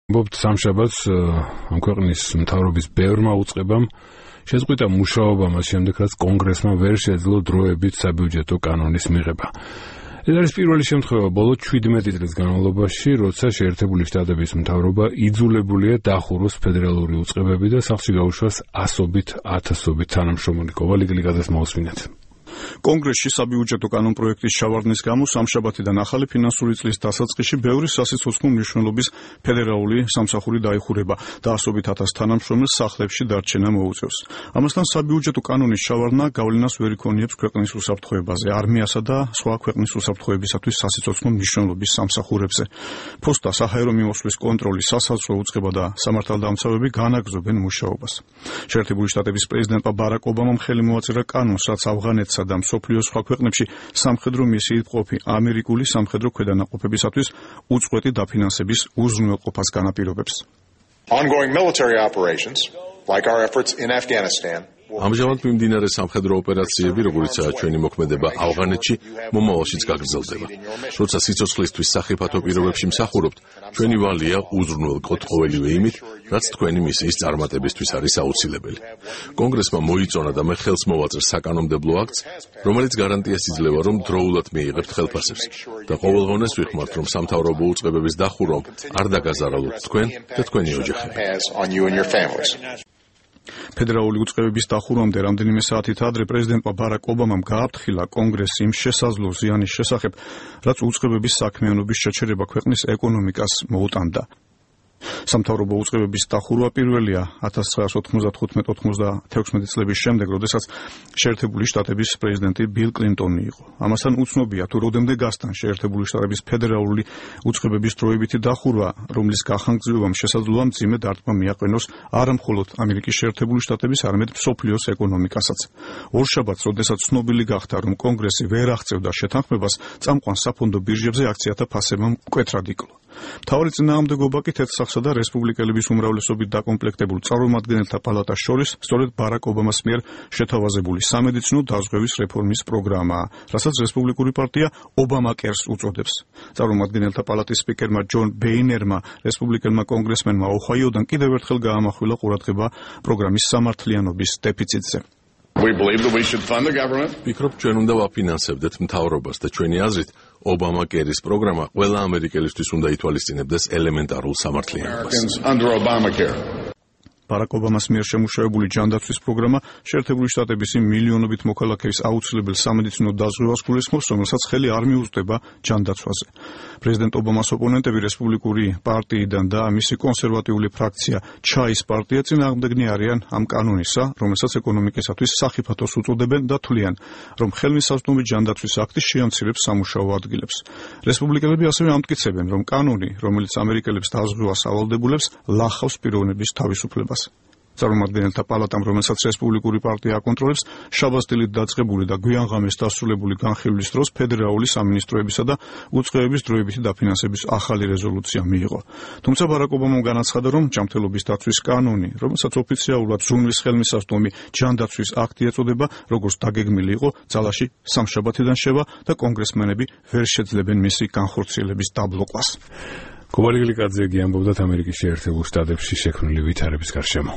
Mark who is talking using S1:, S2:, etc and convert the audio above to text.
S1: ამბობთ სამშაბათს ამ ქვეყნის მთავრობის ბევრმა უწყებამ შეზღუდვა მუშაობა მას შემდეგ, რაც კონგრესმა ვერ შეძლო დროებით საბიუჯეტო კანონის მიღება. ეს არის პირველი შემთხვევა ბოლო 17 წლის განმავლობაში, როცა შეერთებული შტატების მთავრობა იძულებულია დახუროს ფედერალური უწყებები და სახლში გაუშვას ასობით, ათასობით თანამშრომელი. კოვალიგლიკაძეს მოусმინეთ.
S2: კონგრესში საბიუჯეტო კანონპროექტის ჩავარდნის გამო სამშაბათიდან ახალი ფინანსური წლის დასაწყისში ბევრი სასიცოცხლო მნიშვნელობის ფედერალური სამსახური დაიხურება და ასობით ათას თანამშრომელს სახლებში დარჩენა მოუწევს. ამასთან საბიუჯეტო კანონის ჩავარდნა გავლენას ვერ იქონიებს ქვეყნის უსაფრთხოებაზე, არმიასა და სხვა ქვეყნის უსაფრთხოებისათვის სასიცოცხლო მნიშვნელობის სამსახურებზე. ფოსტა, საჰაერო მიმოსვლის კონტროლი, სასაზღვრო უწყება და სამართალდამცავები განაგრძობენ მუშაობას. შეერთებული შტატების პრეზიდენტმა ბარაკ ობამამ ხელი მოაწერა კანონს, რაც ავღანეთსა და მსოფლიოს სხვა ქვეყნებში სამხედრო მისიით მყოფი ამერიკული სამხედრო ქვედანაყოფებისათვის უწყვეტი დაფინანსების უზრუნველყოფას განაპირობებს.
S3: Ongoing military operations, like our efforts in Afghanistan,
S4: ამჟამად მიმდინარე სამხედრო ოპერაციები, როგორიცაა ჩვენი მოქმედება ავღანეთში, მომავალშიც გაგრძელდება. როცა სიცოცხლისთვის სახიფათო პირობებში მსახურობთ, ჩვენი ვალია უზრუნველყოთ ყოველივე იმით, რაც თქვენი მისიის წარმატებისთვის არის აუცილებელი. კონგრესმა მოიწონა და მე ხელს მოვაწერს საკანონმდებლო აქტს, რომელიც გარანტიას იძლევა, რომ დროულად მიიღებთ ხელფასებს და ყოველგვარს ვიხმართ, რომ სამთავრობო უწყებების დახურვამ არ დაგაზარალოთ თქვენ და თქვენი ოჯახები.
S2: ფედერალური უწყებების დახურვამდე რამდენიმე საათით ადრე პრეზიდენტმა ბარაკ ობამამ გააფრთხილა კონგრესს იმ შესაძლო ზიანის შესახებ, რაც უწყებების საქმიანობის შეჩერება ქვეყნის ეკონომიკას მოუტანდა. სამთავრობო უწყებების დახურვა პირველია 1995-96 წლების შემდეგ, როდესაც შეერთებული შტატების პრეზიდენტი ბილ კლინტონი იყო. ამასთან უცნობია, თუ როდემდე გასტან შეერთებული შტატების ფედერალური უწყებების დროებითი დახურვა, რომლის გახანგრძლივობამ შესაძლოა მძიმე დარტყმა მიაყენოს არა მხოლოდ ამერიკის შეერთებული შტატების, არამედ მსოფლიოს ეკონომიკასაც. ორშაბათს, როდესაც ცნობილი გახდა, რომ კონგრესი ვერ აღწევდა შეთანხმებას, წამყვან საფონდო ბირჟებზე აქციათა ფასებმა მკვეთრად იკლო. მთავარი წინააღმდეგობა კი თეთრსახსა და რესპუბლიკელების უმრავლესობით დაკომპლექტებულ წარმომადგენელთა პალატას შორის სწორედ ბარაკ ობამას მიერ შეთავაზებული სამედიცინო დაზღვევის რეფორმის პროგრამაა, რასაც რესპუბლიკური პარტია ობამაკერს უწოდებს. წარმომადგენელთა პალატის სპიკერმა ჯონ ბეინერმა რესპუბლიკელმა კონგრესმენმა ოჰაიოდან კიდევ ერთხელ გაამახვილა ყურადღება პროგრამის სამართლიანობის დეფიციტზე.
S4: ვფიქრობ, ჩვენ უნდა ვაფინანსებდეთ მთავრობას და ჩვენი აზრით ობამაკერის პროგრამა ყველა ამერიკელისთვის უნდა ითვალისწინებდეს ელემენტარულ სამართლიანობას.
S2: ბარაკ ობამას მიერ შემუშავებული ჯანდაცვის პროგრამა შეერთებული შტატების მილიონობით მოქალაქეის აუცილებელ სამედიცინო დაზღვევას გულისხმობს, რომელსაც ხელი არ მიუწვდება ჯანდაცვაზე. პრეზიდენტ ობამას ოპონენტები რესპუბლიკური პარტიიდან და მისი კონსერვატიული ფრაქცია ჩაის პარტია წინააღმდეგნი არიან ამ კანონისა, რომელსაც ეკონომიკისათვის სახიფათოს უწოდებენ და თვლიან, რომ ხელმისაწვდომი ჯანდაცვის აქტი შეამცირებს სამუშაო ადგილებს. რესპუბლიკელები ასევე ამტკიცებენ, რომ კანონი, რომელიც ამერიკელებს დაზღვევას ავალდებულებს, ლახავს პიროვნების თავისუფლებას. წარმომადგენელთა პალატამ, რომელსაც რესპუბლიკური პარტია აკონტროლებს, შაბათს-დილით დაწყებული და გვიან-ღამეს დასრულებული განხილვის დროს ფედერალური სამინისტროებისა და უწყებების დროებითი დაფინანსების ახალი რეზოლუცია მიიღო. თუმცა ბარაკ ობამამ განაცხადა, რომ ჯანმრთელობის დაცვის კანონი, რომელსაც ოფიციალურად ზრუნვის ხელმისაწვდომი ჯანდაცვის აქტი ეწოდება, როგორც დაგეგმილი იყო, ძალაში სამშაბათიდან შევა და კონგრესმენები ვერ შეძლებენ მისი განხორციელების დაბლოკვას.
S1: კოვალიგლიკაძე ამბობდა ამერიკის შეერთებულ შტატებში შექმნილი ვითარების გარშემო.